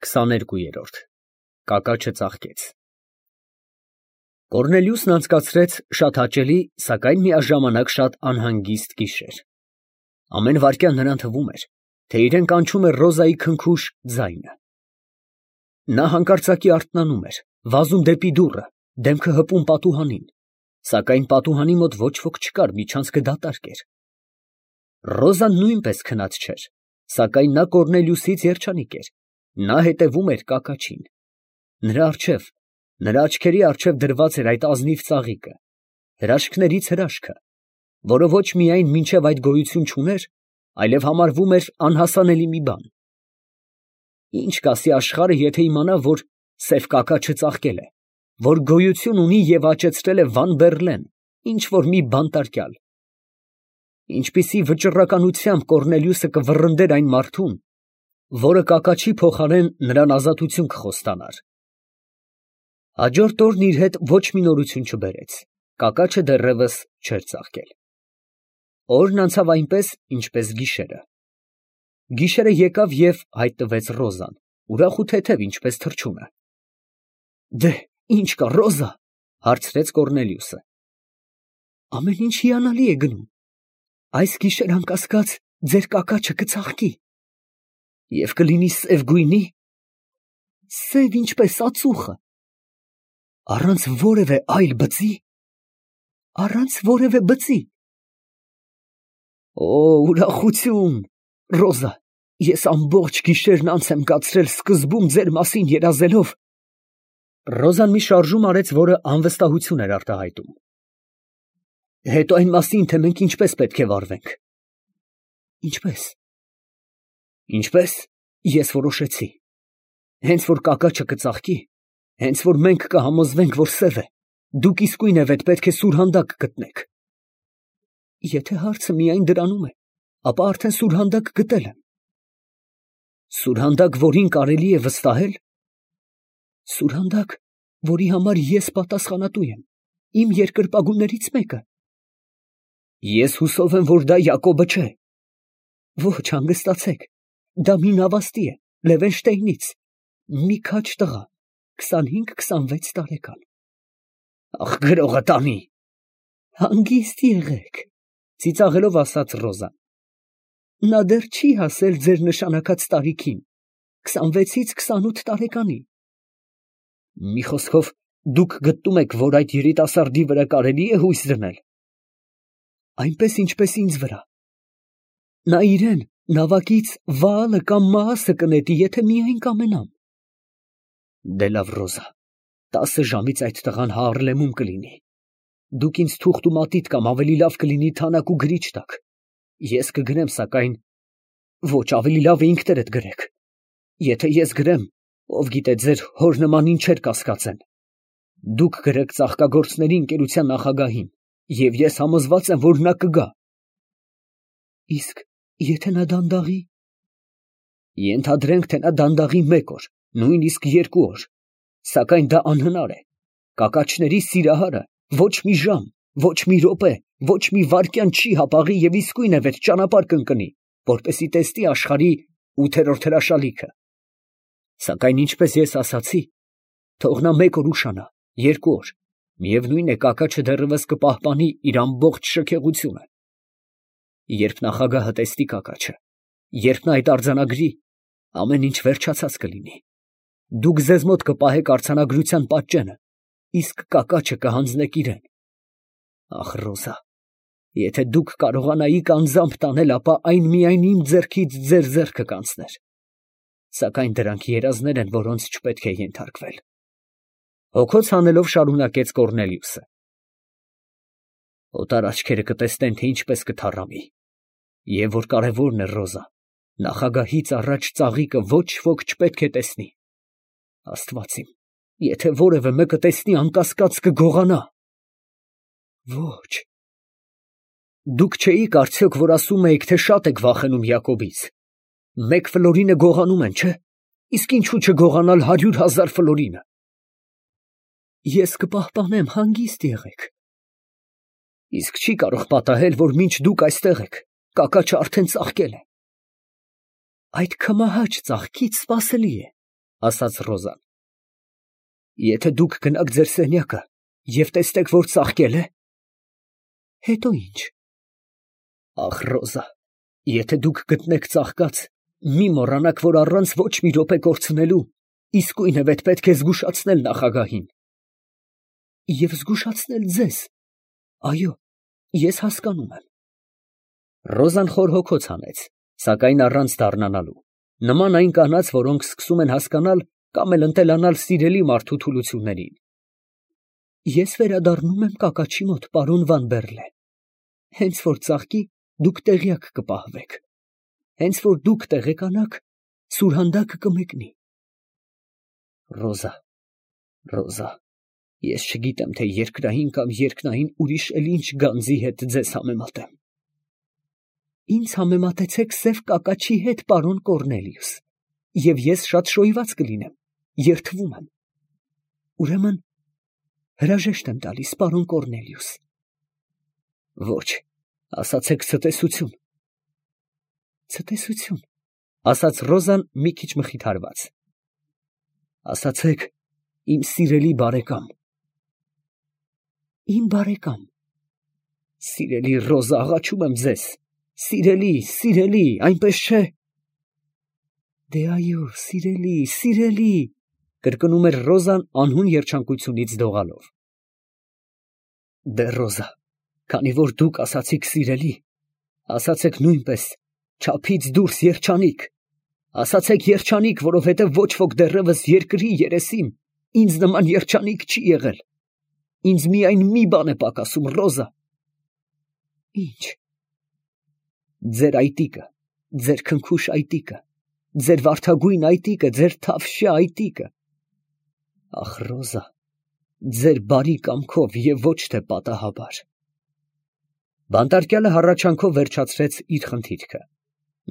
22-րդ Կակաչը ծաղկեց։ Կոռնելիուսն անցկացրեց շատ հաճելի, սակայն միաժամանակ շատ անհանգիստ գիշեր։ Ամեն վայրկյան նրան թվում էր, թե իրեն կանչում է Ռոզայի քնքուշ ձայնը։ Նա հանկարծակի արթնանում էր, վազում դեպի դուռը, դեմքը հպում պատուհանին, սակայն պատուհանի մոտ ոչ ոք չկար, միջանցքը դատարկ էր։ Ռոզան նույնպես քնած չէր, սակայն նա Կոռնելիուսից երջանիկ էր, նա հետևում էր կակաչին։ Նրա աչքերի առջև դրված էր այդ ազնիվ ծաղիկը, հրաշքներից հրաշքը, որը ոչ միայն մինչև այդ գոյություն չուներ, այլև համարվում էր անհասանելի մի բան։ Ինչ կասի աշխարհը, եթե իմանա, որ սև կակաչը ծաղկել է, որ գոյություն ունի և աճեցրել է Վան Բեռլեն, ինչ որ մի բանտարկյալ։ Ինչպիսի վճռականությամբ Կոռնելիուսը կվռնդեր այն մարդուն, որը կակաչի փոխարեն նրան ազատություն կխոստանար։ Հաջորդ օրն իր հետ ոչ մի նորություն չբերեց, կակաչը դեռևս չէր ծաղկել։ Օրն անցավ այնպես, ինչպես գիշերը։ Գիշերը եկավ և հայտնվեց Ռոզան, ուրախ ու թեթև, ինչպես թռչունը։ «Դե, ի՞նչ կա, Ռոզա», հարցրեց Կոռնելիուսը։ «Ամեն ինչ հիանալի է գնում։ Այս գիշեր անկասկած ձեր կակաչը կծաղկի։ Եվ կլինի սև գույնի, սև ինչպես ածուխը, առանց որևէ այլ բծի, առանց որևէ բծի։ Օ, ուրախություն, Ռոզա, ես ամբողջ գիշերն անց եմ կացրել սկզբում ձեր մասին երազելով»։ Ռոզան մի շարժում արեց, որը անվստահություն էր արտահայտում։ «Հետո այն մասին, թե մենք ինչպես պետք է վարվենք»։ «Ինչպես»։ «Ինչպես, ես որոշեցի. հենց որ կակաչը կծաղկի, հենց որ մենք կհամոզվենք, որ սև է, դուք իսկույնևեթ պետք է սուրհանդակ գտնեք»։ «Եթե հարցը միայն դրանում է, ապա արդեն սուրհանդակ գտել եմ»։ «Սուրհանդակ, որին կարելի է վստահել»։ «Սուրհանդակ, որի համար ես պատասխանատու եմ, իմ երկրպագուներից մեկը»։ «Ես հուսով եմ, որ դա Յակոբը չէ»։ «Ոչ, հանգստացեք, դա մի նավաստի է, Լևենշտեյնից, մի քաջ տղա, 25-26 տարեկան»։ «Ախ, գրողը տանի»։ «Հանգիստ եղեք», ծիծաղելով ասաց Ռոզան։ «Նա դեռ չի հասել ձեր նշանակած տարիքին, 26-ից 28 տարեկանի»։ «Մի խոսքով, դուք գտնում եք, որ այդ երիտասարդի վրա կարելի է հույս դնել»։ «Այնպես, ինչպես ինձ վրա։ Նա իրեն նավակից Վաալը կամ Մաասը կնետի, եթե միայն կամենամ»։ «Դե լավ, Ռոզա, 10 ժամից այդ տղան Հաառլեմում կլինի։ Դուք ինձ թուղթ ու մատիտ կամ ավելի լավ կլինի թանաք ու գրիչ տաք։ Ես կգրեմ, սակայն… Ոչ, ավելի լավ է ինքներդ գրեք։ Եթե ես գրեմ, ով գիտե, ձեր հոր նման ինչեր կասկածեն։ Դուք գրեք ծաղկագործների ընկերության նախագահին, և ես համոզված եմ, որ նա կգա»։ «Իսկ եթե նա դանդաղի»։ «Ենթադրենք, թե նա դանդաղի 1 օր, նույնիսկ 2 օր, սակայն դա անհնար է։ Կակաչների սիրահարը ոչ մի ժամ, ոչ մի րոպե, ոչ մի վայրկյան չի հապաղի և իսկույնևեթ ճանապարհ կընկնի, որպեսզի տեսնի աշխարհի 8-րդ հրաշալիքը։ Սակայն, ինչպես ես ասացի, թող նա 1 օր ուշանա, 2 օր, միևնույն է, կակաչը դեռևս կպահպանի իր ամբողջ շքեղությունը։ Երբ նախագահը տեսնի կակաչը, երբ նա այդ արձանագրի, ամեն ինչ վերջացած կլինի։ Դուք ձեզ մոտ կպահեք արձանագրության պատճենը, իսկ կակաչը կհանձնեք իրան։ Ախ, Ռոզա, եթե դուք կարողանայիք անձամբ տանել, ապա այն միայն իմ ձեռքից ձեր ձեռքը կանցներ։ Սակայն դրանք երազներ են, որոնց չպետք է ենթարկվել»։ Հոգոց հանելով շարունակեց Կոռնելիուսը։ «Օտար աչքերը կտեսնեն, թե ինչպես կթառամի։ Եվ որ կարևորն է, Ռոզա, նախագահից առաջ ծաղիկը ոչ ոք չպետք է տեսնի։ Աստված իմ, եթե որևէ մեկը տեսնի, անկասկած կգողանա»։ «Ոչ»։ «Դուք չէիք արդյոք, որ ասում էիք, թե շատ եք վախենում Յակոբից։ 1 ֆլորինը գողանում են, չէ՞։ Իսկ ինչու չգողանալ 100,000 ֆլորինը»։ «Ես կպահպանեմ, հանգիստ եղեք»։ «Իսկ չի կարող պատահել, որ մինչ դուք այստեղ եք, կակաչը արդեն ծաղկել է»։ «Այդ քմահաճ ծաղկից սպասելի է, ասաց Ռոզան։ Եթե դուք գնաք ձեր սենյակը և տեսնեք, որ ծաղկել է, հետո ինչ։ Ախ, Ռոզա, եթե դուք գտնեք ծաղկած, մի մոռանաք, որ առանց ոչ մի րոպե կորցնելու, իսկույնևեթ պետք է զգուշացնել նախագահին։ Եվ զգուշացնել ձեզ։ Այո, ես հասկանում եմ։ Ռոզան խոր հոգոց հանեց, սակայն առանց դառնալու, նման այն կանանց, որոնք սկսում են հասկանալ կամ էլ ընտելանալ սիրելի մարդու թուլություններին։ Ես վերադառնում եմ կակաչի մոտ, պարոն Վան Բերլե։ Հենց որ ծաղկի, դուք տեղյակ կպահվեք։ Հենց որ դուք տեղեկանաք, սուրհանդակը կմեկնի։ Ռոզա, Ռոզա, ես չգիտեմ, թե երկրային կամ երկնային ուրիշ էլ ինչ գանձի հետ ձեզ համեմատեմ։ Ինձ համեմատեցեք սև կակաչի հետ, պարոն Կորնելիուս, և ես շատ շոյված կլինեմ, երդվում եմ։ Ուրեմն, հրաժեշտ եմ տալիս, պարոն Կորնելիուս։ Ոչ, ասացեք ցտեսություն։ Ցտեսություն, ասաց Ռոզան մի քիչ մխիթարված։ Ասացեք, իմ սիրելի բարեկամ։ Իմ բարեկամ։ Սիրելի Ռոզա, աղաչում եմ ձեզ։ Սիրելի, սիրելի, այնպես չէ։ Դե այո, սիրելի, սիրելի, կրկնում էր Ռոզան անհուն երջանկությունից դողալով։ Դե Ռոզա, քանի որ դուք ասացիք սիրելի, ասացեք նույնպես չափից դուրս երջանիկ, ասացեք երջանիկ, որովհետև ոչ ոք դեռևս երկրի երեսին ինձ նման երջանիկ չի եղել։ Ինձ միայն մի բան է պակասում, Ռոզա։ Ինչ։ Ձեր այտիկը, ձեր քնքուշ այտիկը, ձեր վարդագույն այտիկը, ձեր թավշյա այտիկը։ Ախ, Ռոզա, ձեր բարի կամքով և ոչ թե պատահաբար։ Բանտարկյալը հառաչանքով վերջացրեց իր խնդիրքը։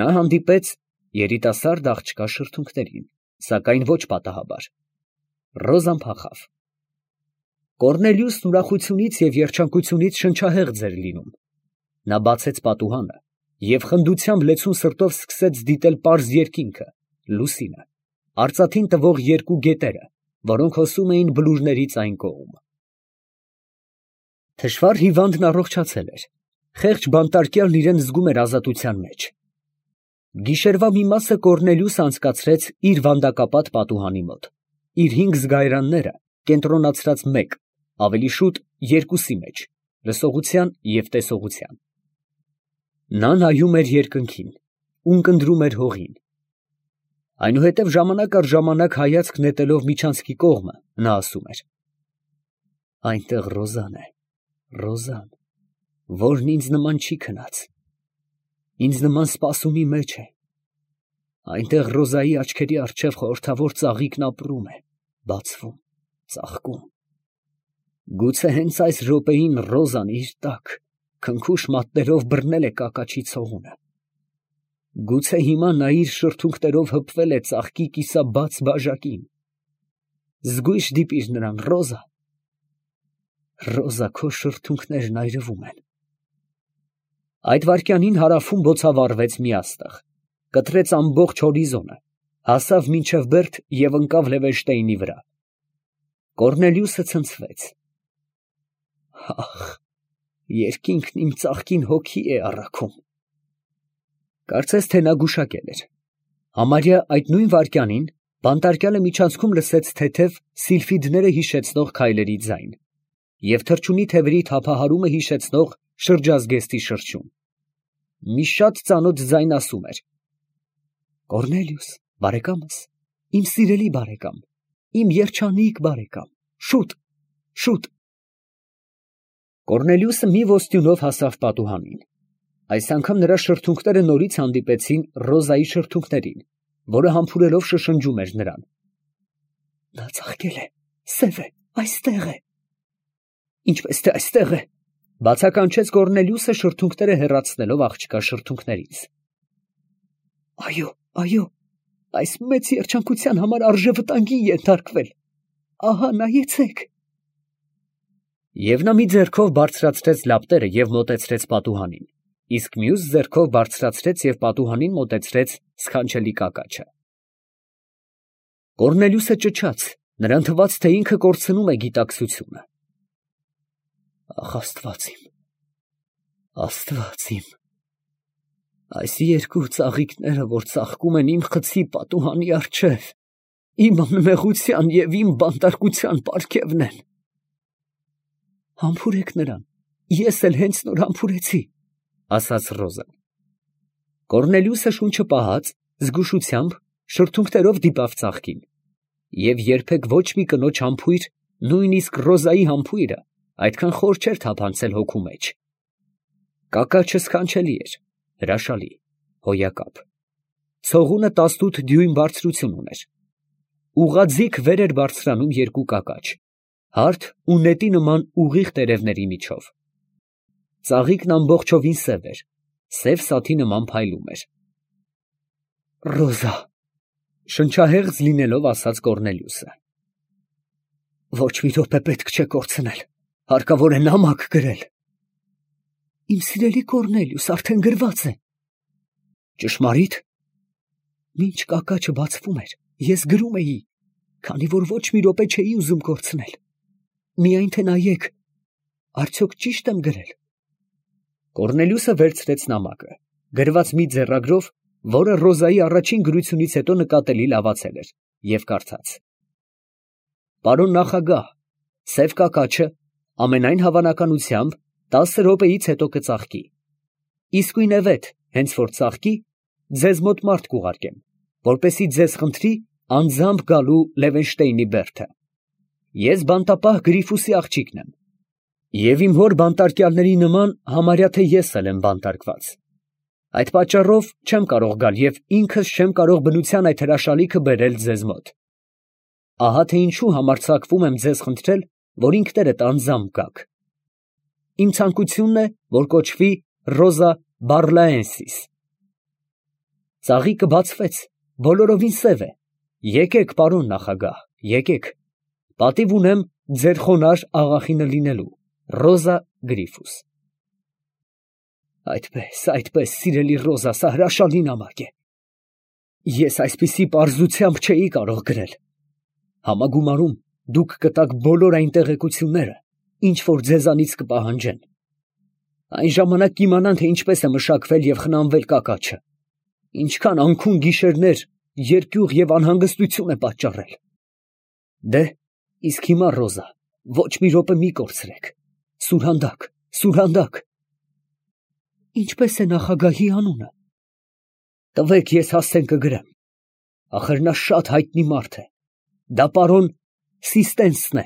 Նա հանդիպեց երիտասարդ աղջկա շրթունքներին, սակայն ոչ պատահաբար։ Ռոզան փախավ։ Կորնելիուսն ուրախությունից և երջանկությունից շնչահեղձ էր լինում։ Նա բացեց պատուհանը և խնդությամբ լեցուն սրտով սկսեց դիտել պարզ երկինքը, լուսինը, արծաթին տվող երկու գետերը, որոնք հոսում էին բլուրներից այն կողմ։ Թշվառ հիվանդն առողջացել էր։ Խեղճ բանտարկյալն իրեն զգում էր ազատության մեջ։ Գիշերվա մի մասը Կորնելիուսը անցկացրեց իր վանդակապատ պատուհանի մոտ, իր 5 զգայարանները կենտրոնացրած մեկ, ավելի շուտ երկուսի մեջ, լսողության և տեսողության։ Նա նայում էր երկնքին, ունկնդրում էր հողին։ Այնուհետև ժամանակ առ ժամանակ հայացք նետելով միջանցքի կողմը, նա ասում էր. այնտեղ Ռոզան է, Ռոզան, որն ինձ նման չի քնած, ինձ նման սպասումի մեջ է։ Այնտեղ Ռոզայի աչքերի առջև խորհրդավոր ծաղիկն ապրում է, բացվում, ծաղկում։ Գուցե հենց այս րոպեին Ռոզան իր տակ քնքուշ մատներով բռնել է կակաչի ցողունը։ Գուցե հիմա նա իր շրթունքներով հպվել է ծաղկի կիսաբաց բաժակին։ Զգույշ դիպիր նրան, Ռոզա։ Ռոզա, քո շրթունքներն այրվում են։ Այդ վայրկյանին հարավում բոցավառվեց մի աստղ, կտրեց ամբողջ հորիզոնը, հասավ մինչև Բերդ և ընկավ Լևենշտեյնի վրա։ Կորնելիուսը ցնցվեց։ Ախ, երկինքն իմ ծաղկին հոգի է առաքում։ Կարծես թե նա գուշակել էր։ Համարյա այդ նույն վայրկյանին բանտարկյալը միջանցքում լսեց թեթև սիլֆիդները հիշեցնող քայլերի ձայն և թռչունի թևերի թափահարումը հիշեցնող շրջազգեստի շրշյուն։ Մի շատ ծանոթ ձայն ասում էր. Կորնելիուս, բարեկամս, իմ սիրելի բարեկամ, իմ երջանիկ բարեկամ, շուտ, շուտ։ Կորնելիուսը մի ոստյունով հասավ պատուհանին։ Այս անգամ նրա շրթունքները նորից հանդիպեցին Ռոզայի շրթունքներին, որը համբուրելով շշնջում էր նրան։ Նա ծաղկել է, սև է, այստեղ է։ Ինչպես թե այստեղ է, բացականչեց Կորնելիուսը շրթունքները հեռացնելով աղջկա շրթունքներից։ Այո, այո, այս մեծ երջանկության համար արժե վտանգի ենթարկվել։ Ահա նայեցեք։ Եվ նա մի ձեռքով բարձրացրեց լապտերը և մոտեցրեց պատուհանին, իսկ մյուս ձեռքով բարձրացրեց և պատուհանին մոտեցրեց սքանչելի կակաչը։ Կորնելիոսը ճչաց, նրան թվաց, թե ինքը կորցնում է գիտակցությունը։ Ախ, Աստված իմ, այս երկու ծաղիկները, որ ծաղկում են իմ խցի պատուհանի առջև, իմ անմեղության և իմ բանտարկության պարգևն են։ Համբուրեք նրան, ես էլ հենց նոր համբուրեցի, ասաց Ռոզան։ Կորնելիոսը շունչը պահած, զգուշությամբ, շրթունքներով դիպավ ծաղկին, և երբեք ոչ մի կնոջ համբույր, նույնիսկ Ռոզայի համբույրը, այդքան խոր չէր թափանցել հոգու մեջ։ Կակաչը սքանչելի էր, հրաշալի, հոյակապ։ Ցողունը 18 դյույմ բարձրություն ուներ։ Ուղղաձիգ վեր էր բարձրանում երկու կակաչ, հարթ ու նետի նման ուղիղ տերևների միջով։ Ծաղիկն ամբողջովին սև էր, սև սաթի նման փայլում էր։ Ռոզա, շնչահեղձ լինելով ասաց Կորնելիոսը։ Ոչ մի րոպե պետք չէ կորցնել, հարկավոր է նամակ գրել։ Իմ սիրելի Կորնելիոս, արդեն գրված է։ Ճշմարիտ։ Մինչ կակաչը բացվում էր, ես գրում էի, քանի որ ոչ մի րոպե չէի ուզում կորցնել։ Միայն թե նայեք, արդյոք ճիշտ եմ գրել։ Կորնելիոսը վերցրեց նամակը, գրված մի ձեռագրով, որը Ռոզայի առաջին գրությունից հետո նկատելի լավացել էր, և կարդաց. Պարոն նախագահ, սև կակաչը ամենայն հավանականությամբ 10 րոպեից հետո կծաղկի։ Իսկույն է վետ, հենց որ ծաղկի, ձեզ մոտ մարդ կուղարկեմ, որպեսզի ձեզ խնդրի անձամբ գալու Լևենշտեյնի բերդը։ Ես բանտապահ Գրիֆուսի աղջիկն եմ, և իմ հոր բանտարկյալների նման համարյա թե ես էլ եմ բանտարկված։ Այդ պատճառով չեմ կարող գալ և ինքս չեմ կարող բնության այդ հրաշալիքը բերել ձեզ մոտ։ Ահա թե ինչու համարձակվում եմ ձեզ խնդրել, որ ինքներդ անձամբ գաք։ Իմ ցանկությունն է, որ կոչվի Ռոզա Բարլաենսիս։ Ծաղիկը բացվեց, բոլորովին սև է։ Եկեք, պարոն նախագահ, եկեք։ Պատիվ ունեմ ձեր խոնարհ աղախինը լինելու, Ռոզա Գրիֆուս։ Այդպես, սիրելի Ռոզա, սա հրաշալի նամակ է։ Ես այսպիսի պարզությամբ չէի կարող գրել։ Համագումարում դուք կտաք բոլոր այն տեղեկությունները, ինչ որ ձեզանից կպահանջեն։ Այն ժամանակ կիմանան, թե ինչպես է մշակվել և խնամվել կակաչը, ինչքան անքուն գիշերներ, երկյուղ և անհանգստություն է պատճառել։ Դե, իսկ հիմա, Ռոզա, ոչ մի րոպե մի կորցրեք։ Սուրհանդակ։ Ինչպես է նախագահի անունը։ Տվեք, ես հասցեն կգրեմ։ Ախր նա շատ հայտնի մարդ է։ Դա պարոն Սիստենսն է,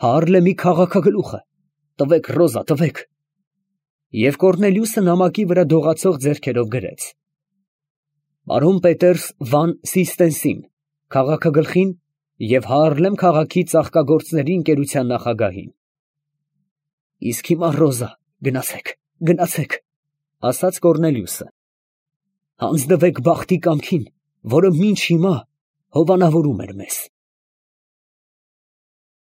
Հաառլեմի քաղաքագլուխը։ Տվեք, Ռոզա, տվեք։ Եվ Կորնելիոսը նամակի վրա դողացող ձեռքերով գրեց. Պարոն Պետերս վան Սիստենսին, քաղաքագլխին և Հաառլեմ քաղաքի ծաղկագործների ընկերության նախագահին։ Իսկ հիմա, Ռոզա, գնացեք, ասաց Կորնելիոսը։ Հանձնվեք բախտի կամքին, որը մինչ հիմա հովանավորում էր մեզ։